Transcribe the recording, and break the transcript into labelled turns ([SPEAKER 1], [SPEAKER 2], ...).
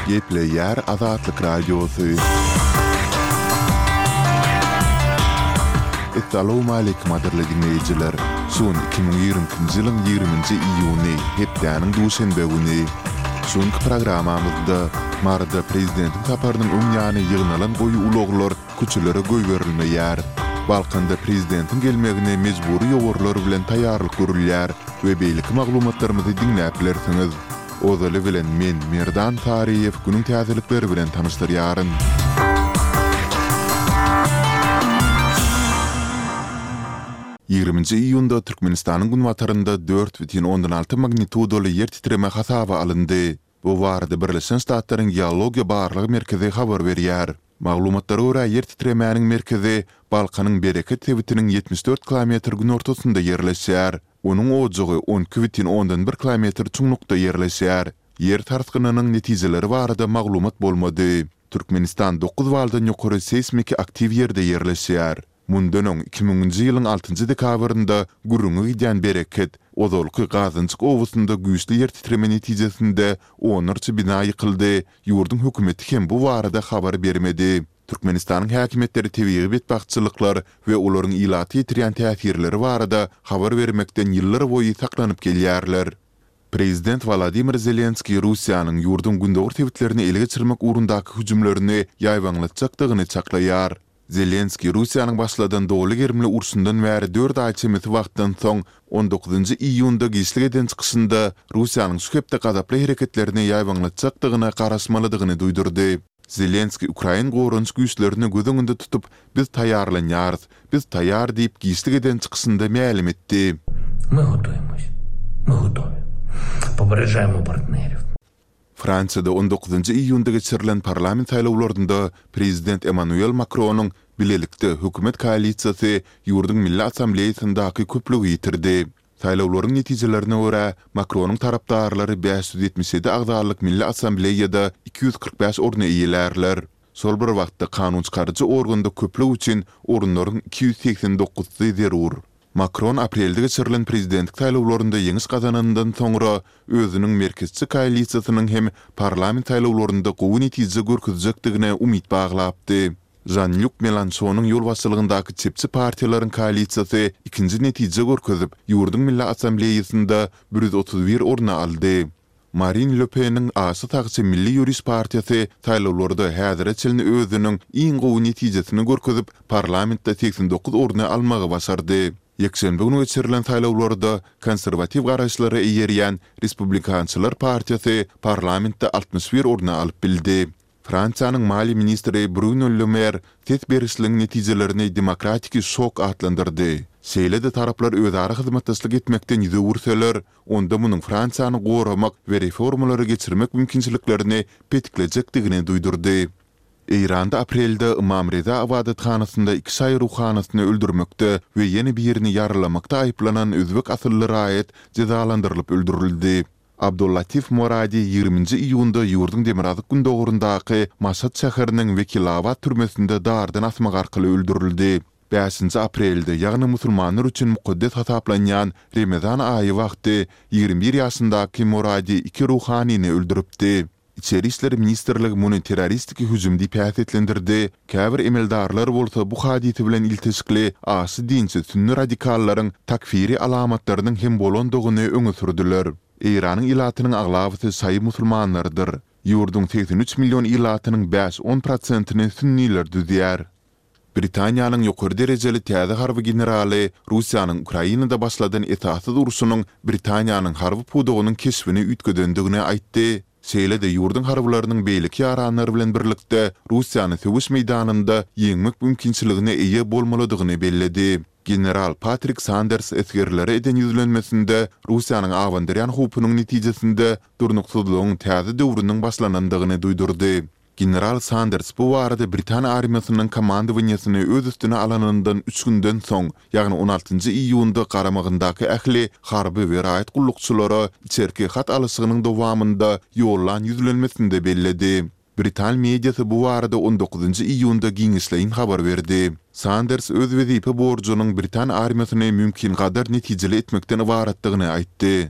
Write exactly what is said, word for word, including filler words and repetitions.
[SPEAKER 1] Gepleýär Azatlyk Radiosy. Essalawmaleýkim gadyrly diňleýjiler! Şu gün iki müň ýigrimi ikinji ýylyň ýigriminji iýuny, hepdäniň duşenbe güni. Şu günki programmamyzda Maryda prezidentiň saparynyň öň ýany ýygnalan goýy ulaglar köçelere goýberilmeýär. Balkanda prezidentiň gelmegine mejbury ýowarlar bilen taýýarlyk görülýär we beýleki maglumatlarymyzy diňläp bilersiňiz. Ozaly bilen men, Merdan Saryýew günüň täzelikleri bilen tanyşdyrýaryn. Ýigriminji iýunda Türkmenistanyň günbatarynda dört bütin ondan alty magnitudaly ýer titreme hasaba alyndy. Bu barada Birleşen Ştatlaryň Geologiýa barlag merkezi habar berýär. Maglumatlara görä, ýer titremäniň merkezi Balkanyň Bereket sebitiniň ýetmiş dört kilometr günortasynda ýerleşýär. Onuň ojagy on iki bütin ondan bir kilometr çuňlukda ýerleşýär. Ýer sarsgynynyň netijeleri barada maglumat bolmady. Türkmenistan dokuz baldan ýokary seýsmiki aktiw ýerde ýerleşýär. Mundan öň, iki müňünji ýylyň altynjy dekabrynda gürrüňi gidýän Bereket, ozalky Gazynjyk obasynda güýçli ýer titreme netijesinde onlarça bina ýykyldy, ýurduň hökümeti hem bu barada habar bermedi. Türkmenistanyň häkimiýetleri tebigy betbagtçylyklar we olaryň ilata ýetirýän täsirleri barada habar bermekden ýyllarboýy saklanyp gelýärler. Prezident Wolodymyr Zelenskiý Russiýanyň ýurduň gündogar sebitlerini ele geçirmek ugrundaky hüjümlerini ýaýbaňlatjakdygyny çaklaýar. Zelenskiý Russiýanyň başladan doly gerimli urşundan bäri dört aý çemesi wagtdan soň, on dokuzynjy iýunda giçlik eden çykyşynda Russiýanyň şu hepde gazaply hereketlerini ýaýbaňlatjakdygyna garaşmalydygyny duýdurdy. Zelenskiý ukrain goranyş güýçlerini göz öňünde tutup, biz taýýarlanýarys, biz taýýar diýip giçlik eden çykyşynda mälim etdi.
[SPEAKER 2] My gotoýmos. My gotowy. Poperežaýmo partnerýow.
[SPEAKER 1] Fransiýada on dokuzynjy iýunda geçirilen parlament saýlawlarynda prezident Emmanuel Makronyň Bilelikde hökümet koalisiýasy ýurduň Milli Assambleýasyndaky köplügi ýitirdi. Saýlawlaryň netijelerine görä, Makronyň tarapdarlary bäş ýüz ýetmiş ýedi agzalyk Milli Assambleýada iki ýüz kyrk bäş orny eýelärler. Şol bir wagtda kanunçykaryjy organda köplük üçin orunlaryň iki ýüz segsen dokuzsy zerur. Makron aprelde geçirilen prezidentlik saýlawlarynda ýeňiş gazananyndan soňra, özüniň merkezçi koalisiýasynyň hem parlament saýlawlarynda gowy netije görkezjekdigine umyt baglapdy. Žan-Lýuk Melanşonyň ýolbaşçylygyndaky çepçi partiýalaryň koalisiýasy ikinji netije görkezip, ýurduň Milli Assambleýasynda bir ýüz otuz bir orny aldy. Marin Le Peniň aşa sagçy Milli ýöriş partiýasy saýlawlarda häzire çenli özüniň iň gowy netijesini görkezip, parlamentde segsen dokuz orny almagy başardy. Ýekşenbe güni geçirilen saýlawlarda konserwatiw garaýyşlara eýerýän Respublikançylar partiýasy parlamentde altmyş bir orny alyp bildi. Fransiýanyň maliýe ministri Bruno Le Mer ses berişligiň netijelerini demokratiki şok atlandyrdy. Şeýle-de taraplar özara hyzmatdaşlyk etmekden ýüz öwürseler, onda munuň Fransiýany goramak we reformalary geçirmek mümkinçiliklerini petiklejekdigini duýdurdy. Eýranda aprelde Ymam Reza ybadathanasynda iki şaýy ruhanysyny öldürmekde we ýene birini ýaralamakda aýyplanan özbek asylly raýat jezalandyrylyp öldürildi. Abdullatif Moradi ýigriminji iýunda ýurduň demirgazyk-gündogaryndaky Maşat şäheriniň Wekilabad türmesinde dardan asmak arkaly öldürildi. Bäşinji aprelde, ýagny musulmanlar üçin mukaddes hasaplanýan Remezan aýy wagty ýigrimi bir ýaşyndaky Moradi iki ruhanyny öldüripdi. Içeri işler ministrligi muny terroristiki hüjüm diýip häsiýetlendirdi, käbir emeldarlar bolsa bu hadysa bilen ilteşikli aşy dinçi sünni radikallaryň takfiri alamatlarynyň hem bolandygyny öňe sürdüler. Eýranyň ilatynyň aglabasy şaýy musulmanlarydyr. Ýurduň segsen üç million ilatynyň bäş-on prosentini sünniler düzýär. Britaniýanyň ýokary derejeli täze harby generaly Russiýanyň Ukrainada başladan esassyz urşunyň Britaniýanyň harby pudagynyň keşbini üýtgedendigini aýtdy, şeýle-de ýurduň harbylarynyň beýleki ýaranlar bilen birlikde Russiýany söweş meýdanynda ýeňmek mümkinçiligine eýe bolmalydygyny belledi. General Patrik Sanders esgerlere eden ýüzlenmesinde Russiýanyň abandyrýan howpunyň netijesinde durnuksyzlygyň täze döwrüniň başlanandygyny duýdurdy. General Sanders bu barada britan armiýasynyň komandowaniýesini öz üstüne alanyndan üç günden soň, ýagny on altynjy iýunda garamagyndaky ähli harby we raýat gullukçylara içerki hat alyşygynyň dowamynda ýollan ýüzlenmesinde belledi. Britan mediasy bu barada on dokuzynjy iýunda giňişleýin habar berdi. Sanders öz wezipe borjunyň britan armiýasyny mümkingadar netijeli etmekden ybaratdygyny aýtdy.